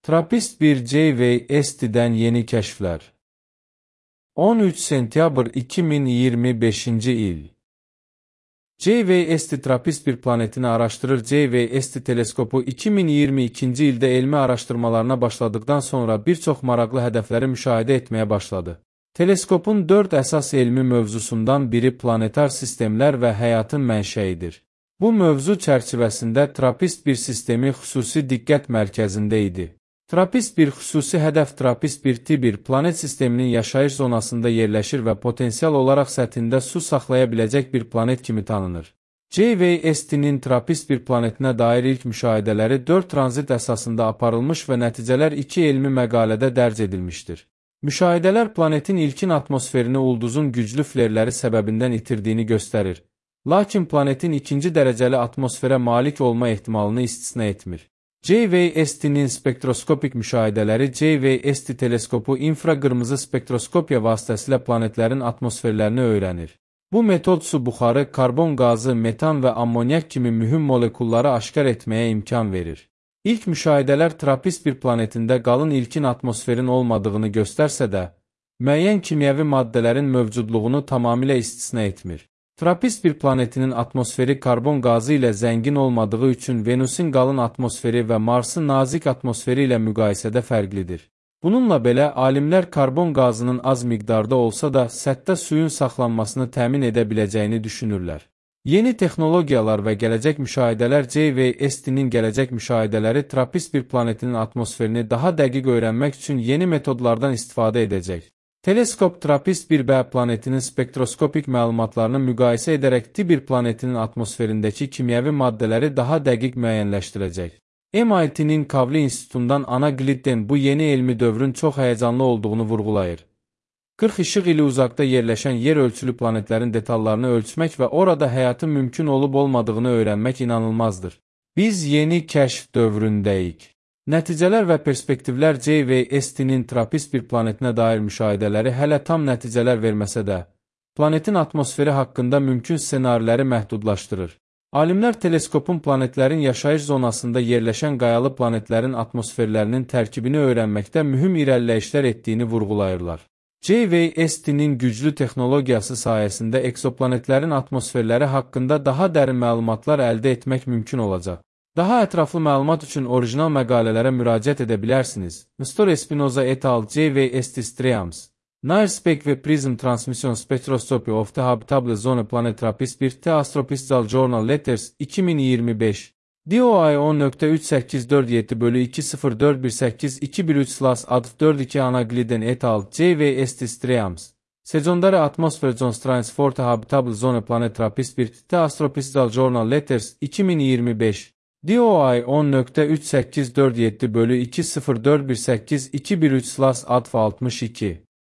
TRAPPIST-1 JWST'den yeni keşfler. 13 sentyabr 2025 il. JWST TRAPPIST-1 planetini araştırır. JWST teleskopu 2022 ildə elmi araştırmalarına başladıktan sonra bir çox maraqlı hədəfləri müşahidə etməyə başladı. Teleskopun 4 əsas elmi mövzusundan biri planetar sistemlər və həyatın mənşəyidir. Bu mövzu çərçivəsində TRAPPIST-1 sistemi xüsusi diqqət mərkəzində idi. TRAPPIST-1 xüsusi hədəf TRAPPIST-1T1 planet sisteminin yaşayış zonasında yerləşir və potensial olaraq səthində su saxlaya biləcək bir planet kimi tanınır. JWST-nin TRAPPIST-1 planetinə dair ilk müşahidələri 4 tranzit əsasında aparılmış və nəticələr 2 elmi məqalədə dərc edilmişdir. Müşahidələr planetin ilkin atmosferini ulduzun güclü flerləri səbəbindən itirdiyini göstərir. Lakin planetin ikinci dərəcəli atmosferə malik olma ehtimalını istisna etmir. JWST-nin spektroskopik müşahidələri JWST teleskopu infraqırmızı spektroskopiya vasitəsilə planetlərin atmosferlərini öyrənir. Bu metod su buxarı, karbon qazı, metan və ammonyak kimi mühüm molekulları aşkar etməyə imkan verir. İlk müşahidələr TRAPPIST-1 planetində qalın ilkin atmosferin olmadığını göstərsə də, müəyyən kimyəvi maddələrin mövcudluğunu tamamilə istisna etmir. TRAPPIST-1 planetinin atmosferi karbon qazı ilə zəngin olmadığı üçün Venusin qalın atmosferi və Marsın nazik atmosferi ilə müqayisədə fərqlidir. Bununla belə, alimlər karbon qazının az miqdarda olsa da səthdə suyun saxlanmasını təmin edə biləcəyini düşünürlər. Yeni texnologiyalar və gələcək müşahidələr JWST-nin gələcək müşahidələri TRAPPIST-1 planetinin atmosferini daha dəqiq öyrənmək üçün yeni metodlardan istifadə edəcək. Teleskop TRAPPIST-1b planetinin spektroskopik məlumatlarını müqayisə edərək T1 planetinin atmosferindəki kimyəvi maddələri daha dəqiq müəyyənləşdirəcək. MIT-nin Kavli İnstitutundan Ana Glidden bu yeni elmi dövrün çox həyəcanlı olduğunu vurğulayır. 40 işıq ili uzaqda yerləşən yer ölçülü planetlərin detallarını ölçmək və orada həyatın mümkün olub-olmadığını öyrənmək inanılmazdır. Biz yeni kəşf dövründəyik. Nəticələr və perspektivlər JWST-nin TRAPPIST-1 planetinə dair müşahidələri hələ tam nəticələr verməsə də, planetin atmosferi haqqında mümkün ssenariləri məhdudlaşdırır. Alimlər teleskopun planetlərin yaşayış zonasında yerləşən qayalı planetlərin atmosferlərinin tərkibini öyrənməkdə mühüm irəliləyişlər etdiyini vurğulayırlar. JWST-nin güclü texnologiyası sayəsində eksoplanetlərin atmosferləri haqqında daha dərin məlumatlar əldə etmək mümkün olacaq. Daha ətraflı məlumat üçün orijinal məqalələrə müraciət edə bilərsiniz. Nestor Espinoza et al. JWST Streams. NIRSpec ve Prism Transmission Spectroscopy of the Habitable Zone Planet TRAPPIST-1 The Astrophysical Journal Letters 2025. DOI 10.38472041821/Adv42 Ana Glidden et al. JWST Streams. Sezondary Atmosphere Constraints for the Habitable Zone Planet TRAPPIST-1 The Astrophysical Journal Letters 2025. DOI 10.38472041821/Adv62